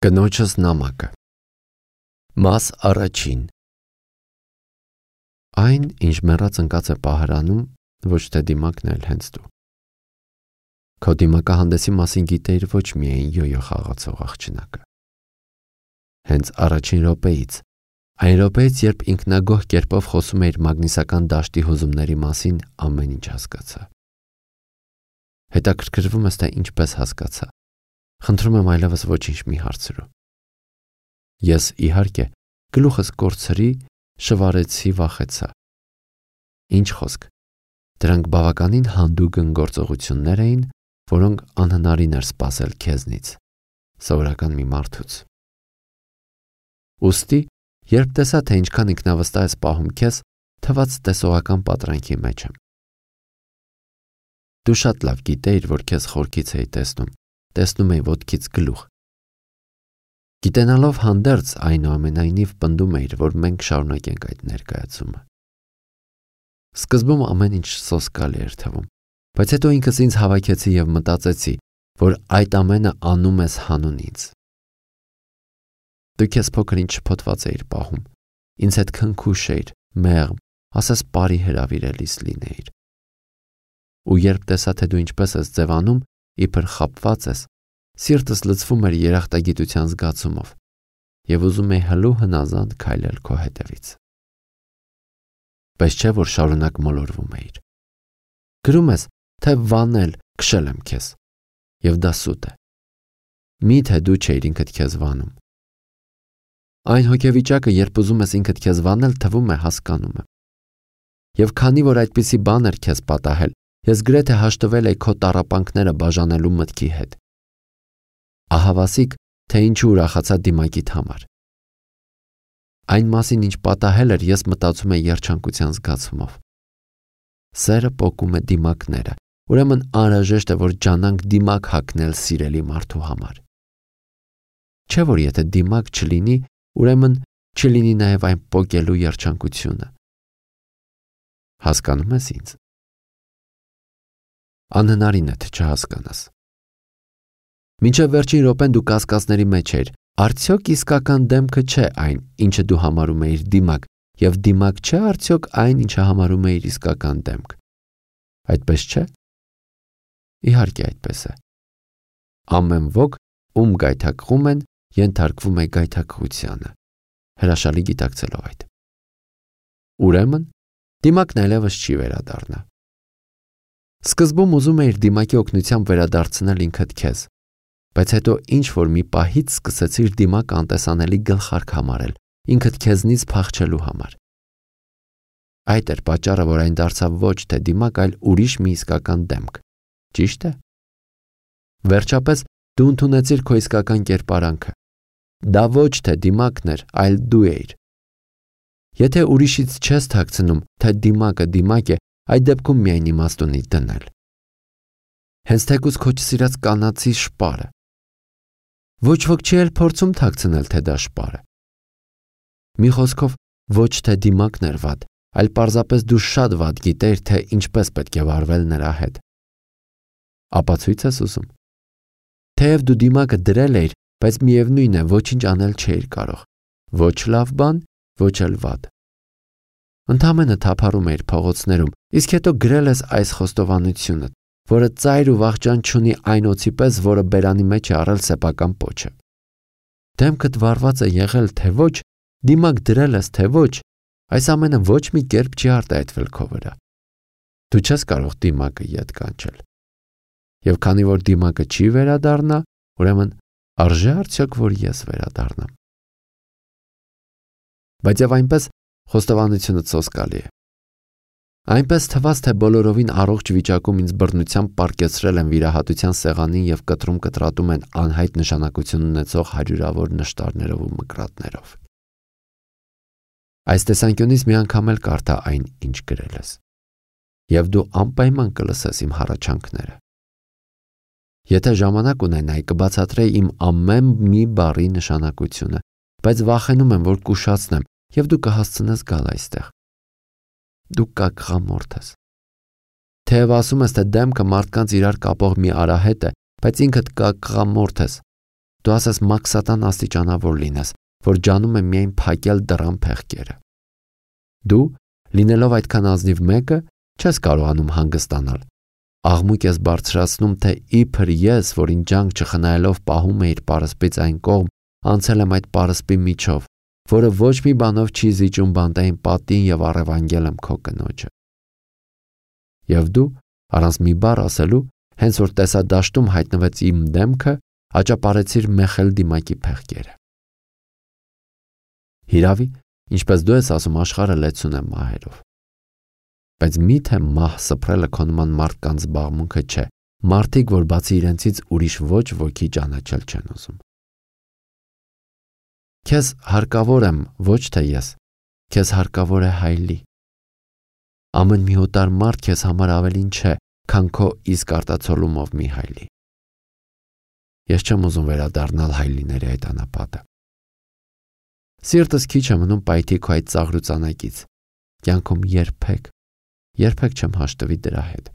Կնոջս նամակը Մաս առաջին Այն, ինչ մեռած ընկած է պահարանում, ոչ թե դիմակն էլ հենց դու։ Քո դիմակահանդեսի մասին գիտեիր ոչ միայն յոյո խաղացող աղջնակը։ Հենց առաջին րոպեից, այն րոպեից, երբ ինքնագոհ կերպով խոսում էիր մագնիսական դաշտի հուզումների մասին, ամեն ինչ հասկացա։ Հետաքրքրվում ես, թե ինչպես հասկացա։ Խնդրում եմ այլևս ոչինչ մի հարցրու։ Ես, իհարկե, գլուխս կորցրի, շվարեցի, վախեցա։ Ինչ խոսք։ Դրանք բավականին հանդուգն գործողություններ էին, որոնք անհնարին էր սպասել քեզնից, սովորական մի մարդուց։ Ուստի, երբ տեսա, թե ինչքան ինքնավստահ ես պահում քեզ, թվաց տեսողական պատրանքի մեջ եմ։ Դու շատ լավ գիտեիր, որ քեզ խորքից էի տեսնում էի ոտքից գլուխ։ Գիտենալով հանդերձ, այնուամենայնիվ պնդում էիր, որ մենք շարունակենք այդ ներկայացումը։ Սկզբում ամեն ինչ սոսկալի էր թվում, բայց հետո ինքս ինձ հավաքեցի և մտածեցի, որ այդ ամենը անում ես հանուն ինձ։ Դու քեզ փոքր ինչ շփոթված էիր պահում, ինձ հետ քնքուշ էիր, մեղմ, ասես պարի հրավիրելիս լինեիր։ Ու երբ տեսա, թե դու ինչպես ես ձևանում, իբր խաբված ես, սիրտս լցվում էր երախտագիտության զգացումով և ուզում էի հլու հնազանդ քայլել քո հետևից։ Պես չէ, որ շարունակ մոլորվում էիր։ Գրում ես, թե վանել, քշել եմ քեզ, և դա սուտ է։ Միթե դու չէիր ինքդ քեզ վանում։ Այն հոգեվիճակը, երբ ուզում ես ինքդ քեզ վանել, թվում է հասկանում եմ։ Եվ քանի որ այդպիսի բան էր քեզ պատահել, ես գրեթե հաշտվել էի քո տառապանքները բաժանելու մտքի հետ։ Ահավասիկ, թե ինչու ուրախացա դիմակիդ համար։ Այն մասին, ինչ պատահել էր, ես մտածում էի երջանկության զգացումով։ Սերը պոկում է դիմակները, ուրեմն անհրաժեշտ է, որ ջանանք դիմակ հագնել սիրելի մարդու համար։ Չէ՞ որ եթե դիմակ չլինի, ուրեմն չլինի նաև այն պոկելու երջանկությունը։ Հասկանում ես ինձ։ Անհնարին է, թե չհասկանաս։ Մինչև վերջին րոպեն դու կասկածների մեջ էիր, արդյոք իսկական դեմքը չէ այն, ինչը դու համարում էիր դիմակ, և դիմակ չէ արդյոք այն, ինչը համարում էիր իսկական դեմք։ Այդպես չէ։ Իհարկե այդպես է։ Ամեն ոք, ում գայթակղում են, ենթարկվում է գայթակղությանը, հրաշալի գիտակցելով այդ։ Ուրեմն, դիմակն այլևս չի վերադառնա։ Սկզբում ուզում էիր դիմակի օգնությամբ վերադարձնել ինքդ քեզ, բայց հետո ինչ-որ մի պահից սկսեցիր դիմակը անտեսանելի գլխարկ համարել, ինքդ քեզնից փախչելու համար։ Այդ էր պատճառը, որ այն դարձավ ոչ թե դիմակ, այլ ուրիշ մի իսկական դեմք։ Ճիշտ է։ Վերջապես դու ընդունեցիր քո իսկական կերպարանքը։ Դա ոչ թե դիմակն էր, այլ դու էիր։ Եթե ուրիշից չես թաքցնում, թե դիմակը դիմակ է, այդ դեպքում միայն իմաստ ունի դնել։ Հենց թեկուզ քո չսիրած կանացի շպարը։ Ոչ ոք չի էլ փորձում թաքցնել, թե դա շպար է։ Մի խոսքով, ոչ թե դիմակն էր վատ, այլ պարզապես դու շատ վատ գիտեիր, թե ինչպես պետք է վարվել նրա հետ։ Ապացույց ես ուզում։ Թեև դու դիմակը դրել էիր, բայց միևնույն է, ոչինչ անել չէիր կարող։ Ոչ լավ բան, ոչ էլ վատ։ Ընդամենը թափառում էիր փողոցներում, իսկ հետո գրել ես այս խոստովանությունը, որը ծայր ու վախճան չունի այն օձի պես, որը բերանի մեջ է առել սեփական պոչը։ Դեմքդ վարված է եղել, թե ոչ, դիմակ դրել ես, թե ոչ, այս ամենը ոչ մի կերպ չի արտահայտվել քո վրա։ Դու չես կարող դիմակը ետ կանչել։ Եվ քանի որ դիմակը չի վերադառնա, ուրեմն արժե արդյոք, որ ես վերադառնամ։ Բայց եւ այնպես խոստովանությունը սոսկալի է։ Այնպես թվաց, թե բոլորովին առողջ վիճակում ինձ բռնությամբ պառկեցրել են վիրահատության սեղանին և կտրում կտրատում են անհայտ նշանակություն ունեցող հարյուրավոր նշտարներով ու մկրատներով։ Այս տեսանկյունից մի անգամ էլ կարդա այն, ինչ գրել ես, և դու անպայման կլսես իմ հառաչանքները։ Եթե ժամանակ ունենայի, կբացատրեի իմ ամեն մի բառի նշանակությունը, բայց վախենում եմ, որ կուշացնեմ, և դու կհասցնես գալ այստեղ։ Դու կակղամորթ ես։ Թեև ասում ես, թե դեմքը մարդկանց իրար կապող մի արահետ է, բայց ինքդ կակղամորթ ես։ դու ասես մաքսատան աստիճանավոր լինես, որ ջանում է միայն փակել դռան փեղկերը։ Դու, լինելով այդքան ազնիվ մեկը, չես կարողանում հանգստանալ։ Աղմուկ ես բարձրացնում, թե իբր ես, որին ջանք չխնայելով պահում է իր պարսպից այն կողմ, անցել եմ այդ պարսպի միջով, որը ոչ մի բանով չի զիջում բանտային պատին եւ առևանգել եմ քո կնոջը։ Եվ դու, առանց մի բառ ասելու, հենց որ տեսադաշտում հայտնվեց իմ դեմքը, աճապարեցիր մեխել դիմակի փեղկերը։ Հիրավի, ինչպես դու ես ասում, աշխարհը լեցուն է մահերով։ Բայց միթե մահ սփռելը քո նման մարդկանց զբաղմունքը չէ, մարդիկ, որ բացի իրենցից ուրիշ ոչ ոքի ճանաչել չեն ուզում։ Քեզ հարկավոր եմ, ոչ թե ես, քեզ հարկավոր է հայլի։ Ամեն մի օտար մարդ քեզ համար ավելին չէ, քան քո իսկ արտացոլումով մի հայլի։ Ես չեմ ուզում վերադառնալ հայլիների այդ անապատը։ Սիրտս քիչ է մնում պայթի քո այդ ծաղրուծանակից, կյանքում երբեք չեմ հաշտվի դրա հետ։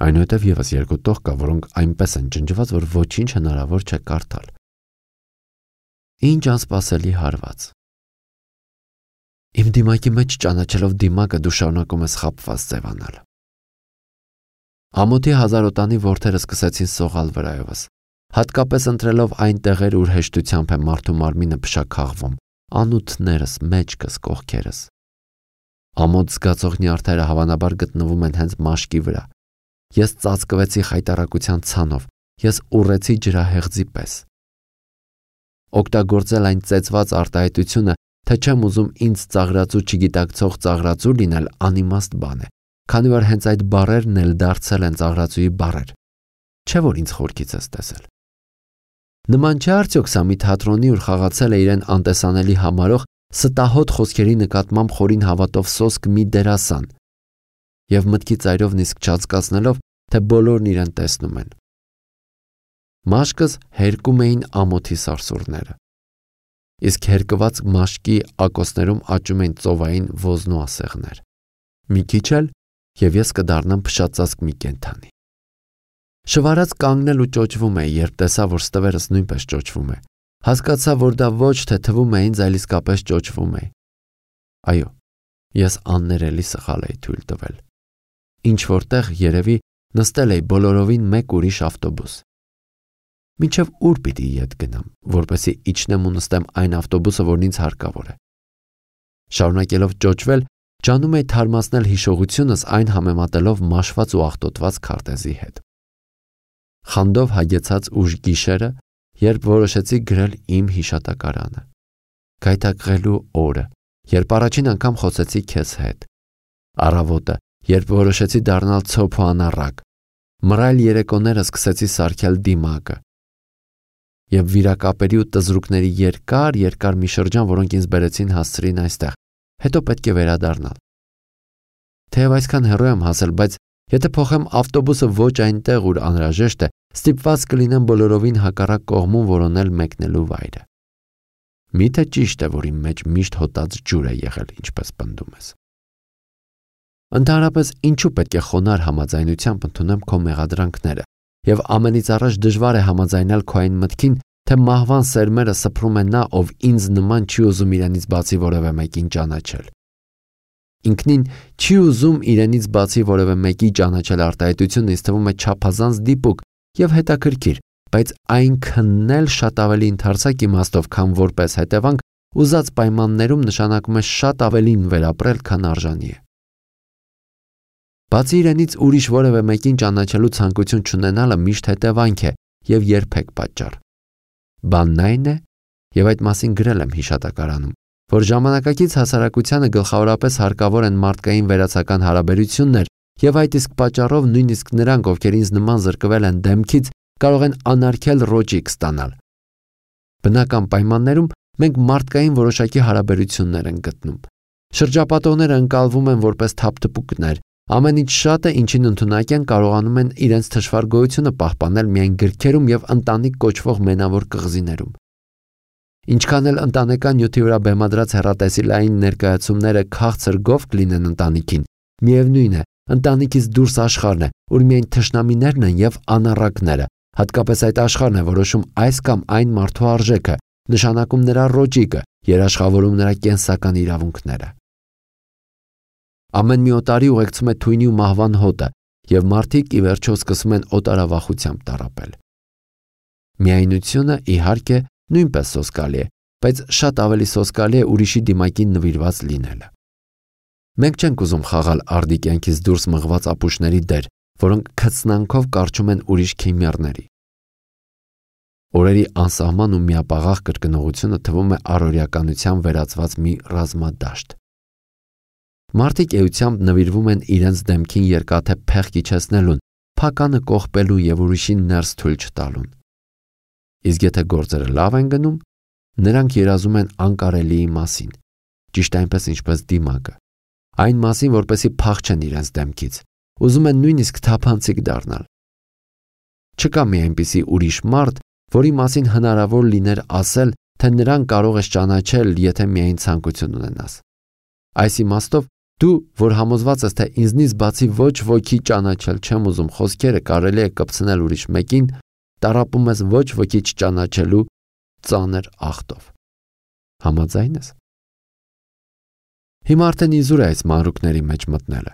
Այնուհետև եւս երկու տող կա, որոնք այնպես են ջնջված, որ ոչինչ հնարավոր չէ կարդալ։ Ինչ անսպասելի հարված։ Իմ դիմակի մեջ ճանաչելով դիմակը դու շարունակում ես խաբված ձևանալ։ Ամոթի հազարոտանի որդերը սկսեցին սողալ վրայովս, հատկապես ընտրելով այն տեղեր, ուր հեշտությամբ է մարդու մարմինը փշաքաղվում, անութներս, մեջքս, կողքերս։ Ամոթ զգացող նյարդերը հավանաբար գտնվում են հենց մաշկի վրա։ Ես ծածկվեցի խայտառակության ցանով, ես ուռեցի ջրահեղձի պես։ Օգտագործել այն ծեծված արտահայտությունը, թե չեմ ուզում ինձ ծաղրածու չգիտակցող ծաղրածու լինել, անիմաստ բան է, քանի որ հենց այդ բառերն էլ դարձել են ծաղրածուի բառեր։ Չէ՞ որ ինձ խորքից ես տեսել։ Նման չէ արդյոք սա մի թատրոնի, ուր խաղացել է իրեն անտեսանելի համարող ստահոդ խոսքերի նկատմամբ խորին հավատով սոսկ մի դերասան, եւ մտքի ծայրով նիսկ չածկացնելով, թե բոլորն իրեն տեսնում են։ Մաշկս հերկում էին ամոթի սարսուռները, իսկ հերկված մաշկի ակոսներում աճում էին ծովային ոզնու ասեղներ։ Մի քիչ էլ, եւ ես կդառնամ փշածածկ մի կենդանի։ Շվարած կանգնել ու ճոճվում է, երբ տեսա, որ ստվերս նույնպես ճոճվում է։ Հասկացա, որ դա ոչ թե թվում է ինձ, այլ իսկապես ճոճվում է։ Այո, ես աններելի սխալ էի թույլ տվել։ Ինչ որտեղ երևի նստել էի բոլորովին մեկ ուրիշ ավտոբուս։ Մինչև ուր պիտի ետ գնամ, որպեսզի իջնեմ ու նստեմ այն ավտոբուսը, որն ինձ հարկավոր է։ Շարունակելով ճոճվել, ջանում էի թարմացնել հիշողությունս այն համեմատելով մաշված ու աղտոտված քարտեզի հետ։ Խանդով հագեցած ուժ գիշերը, երբ որոշեցի գրել իմ հիշատակարանը։ Գայթակղելու օրը, երբ առաջին անգամ խոսեցի քեզ հետ։ Առավոտը, երբ որոշեցի դառնալ ցոփ ու անառակ։ Մռայլ երեկոները սկսեցի սարքել դիմակը։ Եվ վիրակապերի ու տզրուկների երկար մի շրջան, որոնք ինձ բերեցին հասցրին այստեղ, հետո պետք է վերադառնալ։ Թեև այսքան հեռու եմ հասել, բայց եթե փոխեմ ավտոբուսը ոչ այնտեղ, ուր անհրաժեշտ է, ստիպված կլինեմ բոլորովին հակառակ կողմում որոնել մեկնելու վայրը։ Միթե ճիշտ է, որ իմ մեջ միշտ հոտած ջուր է եղել, ինչպես պնդում ես։ Ընդհանրապես, ինչու պետք է խոնարհ համաձայնությամբ ընդունեմ քո մեղադրանքները, եւ ամենից առաջ դժվար է համաձայնել քո այն մտքին, թե մահվան սերմերը սփռում է նա, ով ինձ նման չի ուզում իրենից բացի որևէ մեկին ճանաչել։ Ինքնին չի ուզում իրենից բացի որևէ մեկի ճանաչել արտահայտությունը ինձ թվում է չափազանց դիպուկ եւ հետաքրքիր, բայց այնքանն էլ շատ ավելի ընդարձակ իմաստով, քան որպես հետևանք ուզած պայմաններում նշանակում է շատ ավելին վերապրել, քան արժանի է։ Բացի իրենից ուրիշ որևէ մեկին ճանաչելու ցանկություն չունենալը միշտ հետևանք է եւ երբեք պատճառ։ Բանն այն է, եւ այդ մասին գրել եմ հիշատակարանում, որ ժամանակակից հասարակությանը գլխավորապես հարկավոր են մարդկային վերացական հարաբերություններ, եւ այդ իսկ պատճառով նույնիսկ նրանք, ովքեր ինձ նման զրկվել են դեմքից, կարող են անարգել ռոճիկ ստանալ։ Բնական պայմաններում մենք մարդկային որոշակի հարաբերություններ ենք գտնում։ Շրջապատողները ընկալվում են որպես թափթփուկներ, ամեն ինչ շատը, ինչին ընդունակ են, կարողանում են իրենց թշվառ գոյությունը պահպանել միայն գրքերում եւ ընտանիք կոչվող մենավոր կղզիներում։ Ինչքան էլ ընտանեկան նյութի վրա բեմադրած հեռատեսիլային ներկայացումները քաղցր գովք լինեն ընտանիքին, միևնույն է, ընտանիքից դուրս աշխարհն է, ուր միայն թշնամիներն են եւ անառակները, Հատկապես այդ աշխարհն է որոշում այս կամ այն մարդու արժեքը, նշանակում նրա ռոճիկը, երաշխավորում նրա կենսական իրավունքները։ Ամեն մի օտարի ուղեկցում է թույնի ու մահվան հոտը, եւ մարդիկ ի վերջո սկսում են օտարավախությամբ տառապել։ Միայնությունը, իհարկե, նույնպես սոսկալի է, բայց շատ ավելի սոսկալի է ուրիշի դիմակին նվիրված լինելը։ Մենք չենք ուզում խաղալ արդի կյանքից դուրս մղված ապուշների դեր, որոնք քծնանքով կարճում են ուրիշ քիմիառների։ Օրերի անսահման ու միապաղաղ կրկնողությունը թվում է առօրյականության վերածված մի ռազմադաշտ։ Մարդիկ էությամբ նվիրվում են իրենց դեմքին երկաթե փեղ իջեցնելուն, փականը կողպելուն եւ ուրիշին ներս թույլ չտալուն։ Իսկ եթե գործերը լավ են գնում, նրանք երազում են անկարելիի մասին, ճիշտ այնպես ինչպես դիմակը, այն մասին, որպեսզի փախչեն իրենց դեմքից, ուզում են նույնիսկ թափանցիկ դառնալ։ Չկա մի այնպիսի ուրիշ մարդ, որի մասին հնարավոր լիներ ասել, թե նրան կարող ես ճանաչել, եթե միայն ցանկություն ունենաս։ Այս իմաստով դու, որ համոզված ես, թե ինձնից բացի ոչ ոքի ճանաչել չեմ ուզում խոսքերը կարելի է կպցնել ուրիշ մեկին, տառապում ես ոչ ոքի չճանաչելու ծանր ախտով։ Համաձայն ես։ Հիմա արդեն իզուր է այս մանրուքների մեջ մտնելը։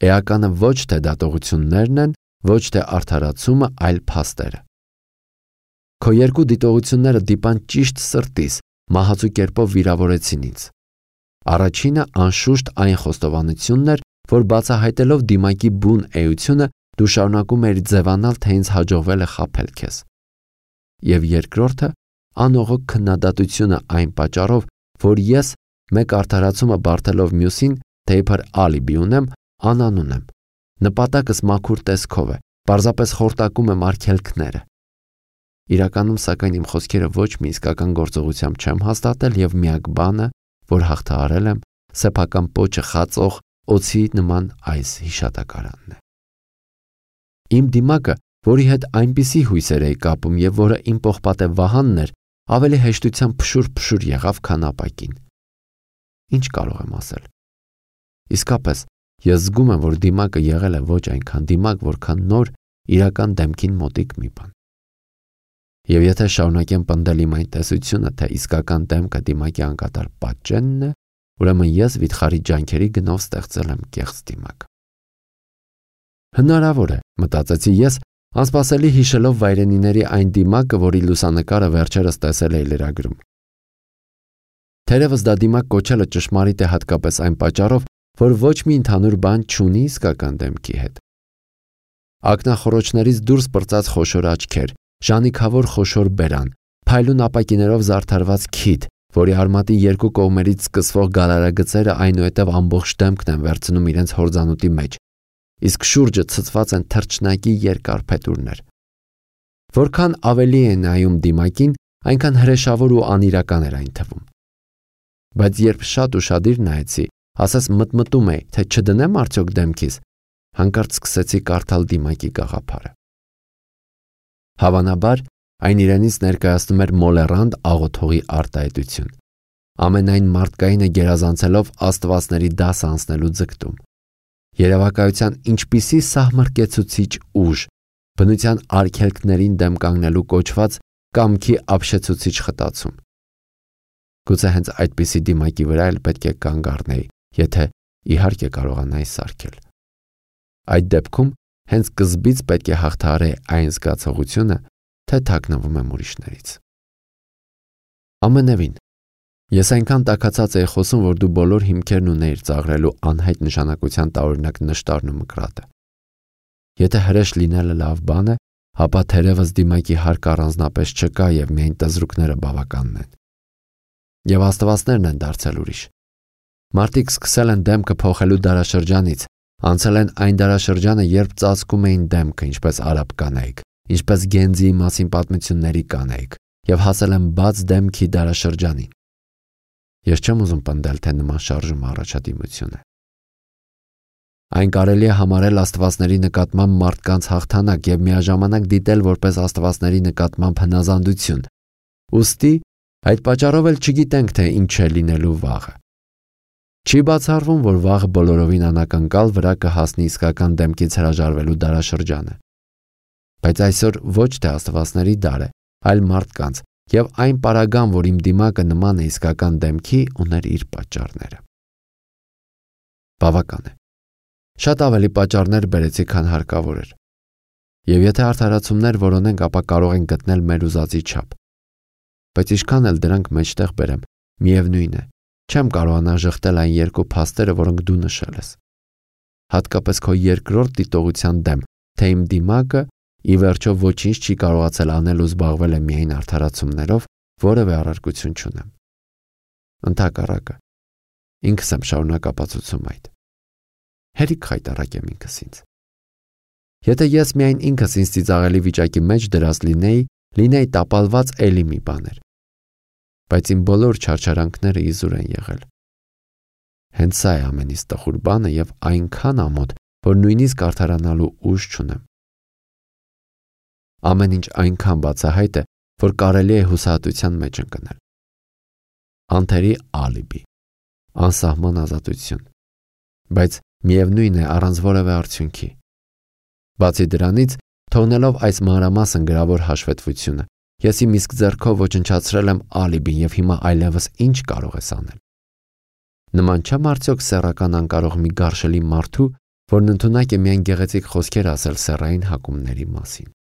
Էականը ոչ թե դատողություններն են, ոչ թե արդարացումը, այլ փաստերը։ Քո երկու դիտողությունները դիպան ճիշտ սրտիս, մահացու կերպով վիրավորեցին ինձ։ Առաջինը անշուշտ այն խոստովանությունն էր, որ բացահայտելով դիմակի բուն էությունը, դու շարունակում էիր ձևանալ, թե ինձ հաջողվել է խաբել քեզ։ Եվ երկրորդը անողոք քննադատությունը այն պատճառով, որ ես մեկ արդարացումը բարթելով մյուսին, թե իբր ալիբի ունեմ, անանուն եմ։ Նպատակս մաքուր տեսքով է, պարզապես խորտակում եմ արգելքները։ Իրականում, սակայն, իմ խոսքերը ոչ մի իսկական գործողությամբ չեմ հաստատել եւ միակ բանը, որ հաղթահարել եմ, սեփական պոչը խածող օձի նման այս հիշատակարանն է։ Իմ դիմակը, որի հետ այնպիսի հույսեր էի կապում եւ որը իմ պողպատե Վահանն էր, ավելի հեշտությամբ փշուր եղավ, քան ապակին։ Ինչ կարող եմ ասել։ Իսկապես, ես զգում եմ, որ դիմակը եղել է ոչ այնքան դիմակ, որքան նոր իրական դեմքին մոտիկ մի բան։ Եվ եթե շարունակեմ պնդել իմ այն տեսությունը, թե իսկական դեմքը դիմակի անկատար պատճենն է, ուրեմն ես վիթխարի ջանքերի գնով ստեղծել եմ կեղծ դիմակ։ Հնարավոր է, մտածեցի ես, անսպասելի հիշելով վայրենիների այն դիմակը, որի լուսանկարը վերջերս տեսել էի լրագրում։ Թերևս դա դիմակ կոչելը ճշմարիտ է հատկապես այն պատճառով, որ ոչ մի ընդհանուր բան չունի իսկական դեմքի հետ։ Ակնախորոչներից դուրս պրծած խոշոր աչքեր, ժանիքավոր խոշոր բերան, փայլուն ապակիներով զարդարված քիթ, որի արմատի երկու կողմերից սկսվող գալարագծերը այնուհետև ամբողջ դեմքն են վերցնում իրենց հորձանուտի մեջ, իսկ շուրջը ցցված են թռչնակի երկար փետուրներ։ Որքան ավելի է նայում դիմակին, այնքան հրեշավոր ու անիրական էր այն թվում։ Բայց երբ շատ ուշադիր նայեցի, ասես մտմտում էի, թե չդնեմ արդյոք դեմքիս, հանկարծ սկսեցի կարդալ դիմակի գաղափարը։ Հավանաբար, այն իրենից ներկայացնում էր մոլեռանդ աղոթողի արտահայտություն, ամենայն մարդկայինը գերազանցելով աստվածների դաս անցնելու ձգտում, երևակայության ինչպիսի սահմռկեցուցիչ ուժ, բնության արգելքներին դեմ կանգնելու կոչված կամքի ապշեցուցիչ խտացում։ Գուցե հենց այդպիսի դիմակի վրա էլ պետք է կանգ առնեի, եթե իհարկե կարողանայի սարքել։ Այդ դեպքում հենց սկզբից պետք է հաղթահարեի այն զգացողությունը, թե թաքնվում եմ ուրիշներից։ Ամենևին, ես այնքան տաքացած էի խոսում, որ դու բոլոր հիմքերն ունեիր ծաղրելու անհայտ նշանակության տարօրինակ նշտարն ու մկրատը։ Եթե հրեշ լինելը լավ բան է, ապա թերևս դիմակի հարկ առանձնապես չկա եւ միայն տզրուկները բավականն են։ Եվ աստվածներն են դարձել ուրիշ։ Մարդիկ սկսել են դեմքը փոխելու դարաշրջանից, անցել են այն դարաշրջանը, երբ ծածկում էին դեմքը, ինչպես արաբ կանայք, ինչպես Գենզիի մասին պատմությունների կանայք, եւ հասել են բաց դեմքի դարաշրջանին։ Ես չեմ ուզում պնդել, թե նման շարժումը առաջադիմություն է։ Այն կարելի է համարել աստվածների նկատմամբ մարդկանց հաղթանակ եւ միաժամանակ դիտել որպես աստվածների նկատմամբ հնազանդություն։ Ուստի այդ պատճառով էլ չգիտենք, թե ինչ է լինելու վաղը։ Չի բացառվում, որ վաղը բոլորովին անակնկալ վրա կհասնի իսկական դեմքից հրաժարվելու դարաշրջանը։ Բայց այսօր ոչ թե աստվածների դար է, այլ մարդկանց, եւ այն պարագան, որ իմ դիմակը նման է իսկական դեմքի, ուներ իր պատճառները։ Բավական է։ Շատ ավելի պատճառներ բերեցի, քան հարկավոր էր։ Եվ եթե արդարացումներ որոնենք, ապա կարող ենք գտնել մեր ուզածի չափ։ Բայց ինչքան էլ դրանք մեջտեղ բերեմ, միևնույն է, չեմ կարողանա ժխտել այն երկու փաստերը, որոնք դու նշել ես։ Հատկապես քո երկրորդ դիտողության դեմ, թե իմ դիմակը ի վերջո ոչինչ չի կարողացել անել ու զբաղվել է միայն արդարացումներով, որևէ առարկություն չունեմ։ Ընդհակառակը, ինքս եմ շարունակ ապացուցում այդ։ Հերիք խայտառակ եմ ինքս ինձ։ Եթե ես միայն ինքս ինձ ծիծաղելի վիճակի մեջ դրած լինեի տապալված էլի մի բաներ։ Բայց իմ բոլոր չարչարանքները իզուր են եղել։ Հենց սա է ամենից տխուր բանը եւ այնքան ամոթ, որ նույնիսկ արդարանալու ուժ չունեմ։ Ամեն ինչ այնքան բացահայտ է, որ կարելի է հուսահատության մեջ ընկնել։ Անթերի ալիբի, անսահման ազատություն, բայց միևնույն է առանց որևէ արդյունքի։ Բացի դրանից, թողնելով այս մանրամասն գրավոր հաշվետվությունը, ես իմ իսկ ձեռքով ոչնչացրել եմ ալիբին եւ հիմա այլևս ինչ կարող ես անել։ Նման չեմ արդյոք սեռական անկարող մի գարշելի մարդու, որն ընդունակ է միայն գեղեցիկ խոսքեր ասել սեռային հակումների մասին։